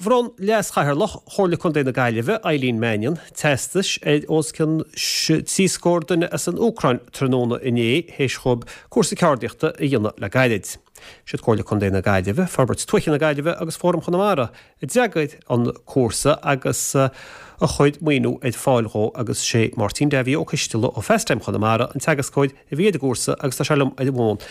Bhronn Leas-Chathaoirleach Chomhairle Contae na Gaillimhe, Eileen Mannion, teastais ar os cionn 30 scór duine as an Úcráin tráthnóna inné théis dhóibh cúrsa ceardaíochta a dhéanamh le gairid. Siad Comhairle Contae na Gaillimhe, Forbairt Tuaithe na Gaillimhe agus Fóram Chonamara a d'eagraigh an cúrsa agus a chuir maoiniú ar fáil dhó agus sé Máirtín Davy Ó Coisteala ó Fastime Chonamara an teagascóir a bhí ar an gcúrsa agus tá sé liom ar an bhfón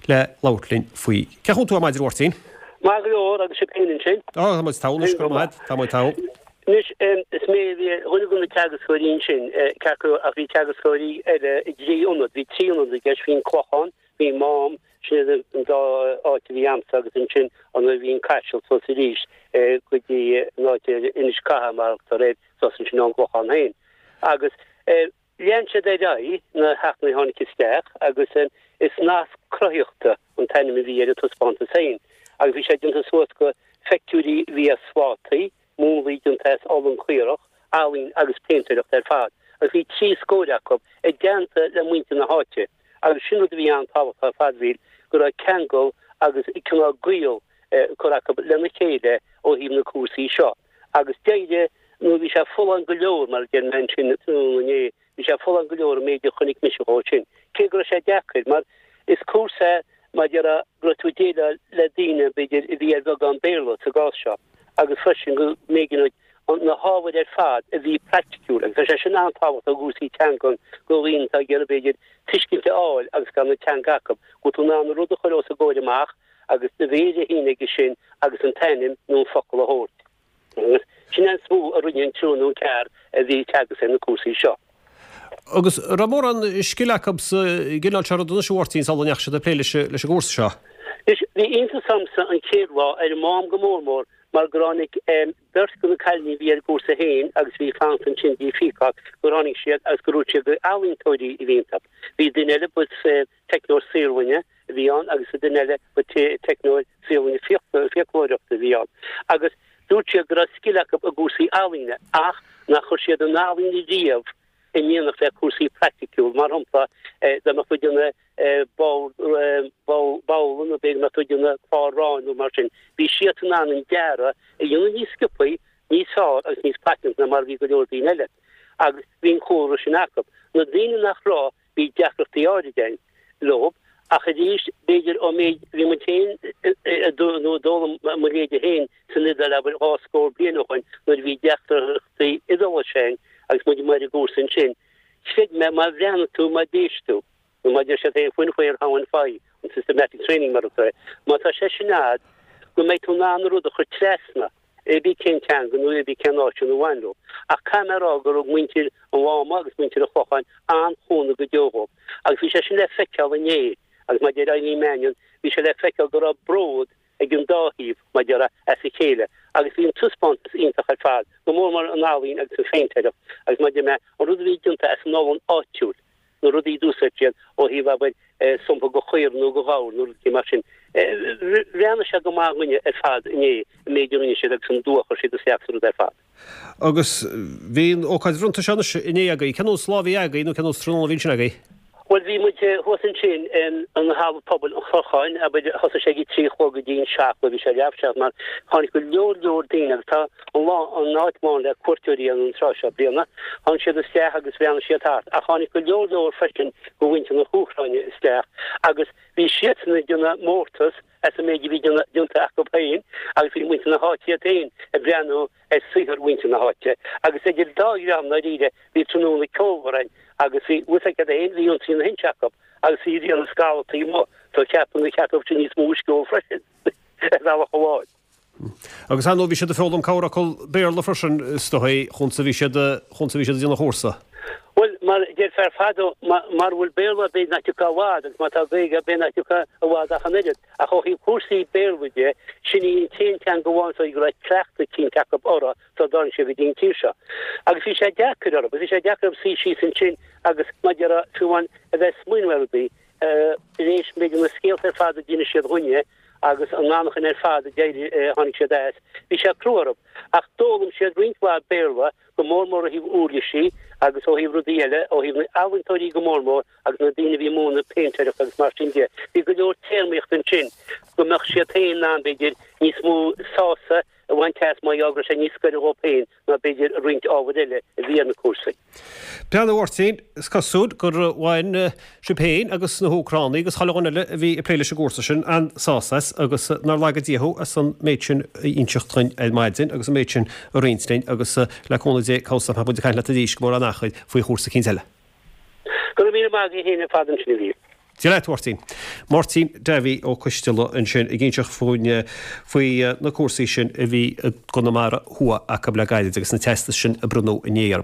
le labhairt linn faoi. Cén chaoi a bhfuil tú ar maidin a Mháirtín? Maith go leor, agus sibh féin ansin? Á, tá muid togha anois, go raibh maith agat, tá muid togha. Anois, is mé a bhí ar dhuine de na teagascóirí ansin, ceart go leor, ach bhí teagascóirí eile i dtrí ionad, bhí trí ionad i gceist, bhí an Clochán, bhí Mám, sin iad an dá áit a bhí a'msa agus ansin an bhí an Caiseal suas arís go dtí an áit ar Inis Catha mar a thugtar air, suas ansin ón gClochán féin. Agus Lean siad ar aghaidh na heachtraí a tháinig isteach agus is Nasc Cruthaitheachta an t-ainm a bhí ar an taispeántas féin agus bhí sé déanta suas go phictiúirí a bhí as slátaí, múnlaí déanta as olann caorach, ealaín agus péintéireacht ar fad agus bhí 30 scór acu i dteannta le muintir na háite agus sin rud a bhí an-tábhachtach ar fad, bhí go raibh ceangal agus cineál gaol curtha acu lena chéile ó thaobh na cúrsaí seo. Agus d'éirigh, nó bhí sé folláin go leor, mar a deir mé ansin tráthnóna inné, bhí sé folláin go leor an méid a chonaic mise dhó sin. Cé go raibh sé deacair, mar is cúrsa é, mar a déarfá, go raibh tú ag déileáil le daoine, b'fhéidir, a bhí ar bheagán Béarla sa gcás seo, agus freisin go mb'éigean duit na hábhair ar fad a bhí praiticiúil, agus tá sé sin an-tábhachtach i gcúrsaí teangan do dhaoine atá ag iarraidh, b'fhéidir, tuiscint a fháil agus gan an teanga acu, go bhfuil tú in ann an rud a chur os a gcomhair amach, agus do mhéir a shíneadh aige sin agus an t-ainm nó an focal a thabhairt. Agus sin é an is mó a rinne an triúr nó an ceathrar a bhí ag teagasc ar na cúrsaí seo. Agus an raibh mórán scil acu sa gcineál seo ruda anois a Mháirtín sula ndeachaigh siad ag plé leis an gcúrsa seo? Anois, bhí iontas ormsa an chéad lá, ar an Mám go mór mór, mar gur tháinig beirt de na cailíní a bhí ar an gcúrsa féin agus a bhí ag fanacht ansin dtí Peacock, gur tháinig siad agus gur dhúirt siad gur ealaíontóirí a bhí iontu. Bhí duine eile, ba teicneoir saotharlainne a bhí ann agus an duine eile ba teicneoir saotharlainne fiaclóireachta a bhí ann. Agus dúirt siad go raibh scil acu i gcúrsaí ealaíne ach nár chuir siad an ealaín riamh in éineacht le cúrsaí praiticiúil. Mar shampla, dá mbeadh tú ag déanamh babhla nó b'fhéidir go mbeadh tú ag déanamh clár aráin nó mar sin, bhí siad in ann an dearadh a dhéanamh níos sciobthaí, níos fearr agus níos paiteanta ná mar a bhí go leor daoine eile. Agus bhí an cúlra sin acu. Na daoine nach raibh, Bhí deacrachtaí áirid ann leo, ach arís, b'fhéidir ón méid a bhí muid féin nó a d'fhoghlaim mo leithéide féin san Iodáil, abair, dhá scór bliain ó shoin, nuair a bhí deacrachtaí Iodáilise ann agus muid amuigh ar an gcúrsa ansin, chreid mé, má bhreathnaigh tú, má d'éist tú, nó mar a deir siad féin, when, where, how and why, an systematic training mar atá, má tá sé sin a'd, go mbeidh tú in ann an rud a chur trasna. ar bith cén teanga nó ar bith cén áit ina bhain leo. Ach caithfidh mé a rá gur thug muintir an Mháma agus muintir an Chlocháin an-chúnamh go deo dhóibh. Agus bhí sé sin le feiceáil inné agus mar a deir Eileen Mannion, bhí sé le feiceáil go raibh bród ag an dá thaobh, mar a déarfá, as a chéile. Agus bhí an taispeántas iontach ar fad, go mór mór an ealaín agus an phéintéireacht agus mar a deir mé, an rud a bhí déanta as an olann áitiúil. na rudaí a d'úsáid siad ó thaobh, abair, sumpa go chaora nó go ghabhar nó rudaí mar sin. Bhreathnaigh sé go maith dhúinne ar fad inné, an méid a rinne siad agus an dua a chuir siad isteach sa rud ar fad. Agus bhí an ócáid bhronnta seo anois inné agaibh. Cén nós lá a bhí agaibh nó cén nós tráthnóna a bhí ansin agaibh? Bhuel, bhí muid thuas ansin in halla pobail an Chlocháin, abair, thosaigh sé ag a trí a chlog go dtí an seacht, bhuel bhí sé leath seacht mar tháinig go leor leor daoine agus tá an lá, an áit lán le cuairteoirí an tráth seo bliana. Tháinig siad isteach agus bhreathnaigh siad thart ach tháinig go leor leor freisin go mhuintir na hÚcráine isteach agus bhí siadsan ag déanamh mórtas as an méid a bhí déanta acu féin agus bhí muintir na háite iad féin ag breathnú ar saothar mhuintir na háite agus idir dá dhream ndáiríre bhí tráthnóna ceolmhar ann agus bhí fhios agat féin bhí Ionsaí na hInse acu agus bhí Ríona Scalla taobh amuigh so cheapfainn gur cheart dóibh sin níos mó uisce a ól freisin ar bhealach amháin. Agus ar ndóigh bhí siad ag foghlaim corrfhocal Béarla freisin is dóigh, chúnsa bhí siad, chúnsa bhí siad ag déanamh an chúrsa. Bhuel, mar a deir fear fadó, mara bhfuil Béarla b'fhéidir nach dtiocfá i bhfad, agus má tá Gaeilge b'fhéidir nach dtiocfá i bhfad ach an oiread. Ach ó thaobh cúrsaí Béarla de, sin í an t-aon teanga amháin so go raibh cleachtadh eicínt acu uirthi sula dtáinig siad go dtí an tír seo. Agus bhí sé deacair orthu, bhí sé deacair orthu suí síos ansin agus, mar a déarfá, fiú amháin a bheith ag smaoineamh ar rudaí, tar éis, b'fhéidir, na scéalta ar fad a d'inis siad dhúinne, agus an anachain ar fad a d'éirigh, a tháinig siad as. Bhí sé crua orthu. Ach d'fhoghlaim siad roinnt mhaith Béarla, go mór mór ó thaobh uirlisí agus ó thaobh rudaí eile, ó thaobh na n-ealaíontóirí go mór mór agus na daoine a bhí ag múineadh péintéireachta agus mar sin de. Bhí go leor téarmaíochta ansin go mbeadh siad féin in ann, b'fhéidir, níos mó sása. A bhaint as mar gheall go raibh sé níos gaire dhóibh féin ná b'fhéidir roinnt ábhair eile a bhí ar na cúrsaí. Breathnaigh a Mháirtín, is cosúil gur bhain sibh féin agus na hÚcránaigh agus chuile dhuine eile a bhí ag plé leis an gcúrsa sin an-sásamh as agus nár laga Dia thú as an méid sin a inseacht dhuinn ar maidin agus an méid sin a roinnt linn agus le cúnamh Dé cá bhfios nach mbeidh muid ag caint leat arís go mórán achair faoi chúrsa eicínt eile. Go raibh míle maith agaibh féin ar fad ansin a Mhíchíl. Dia leat, a Mháirtín. Máirtín Davy Ó Coisteala ansin ag inseacht fúinn faoi na cúrsaí sin a bhí i gConamara Thuaidh acu le gairid agus na teastais sin a bronnadh inné orthu.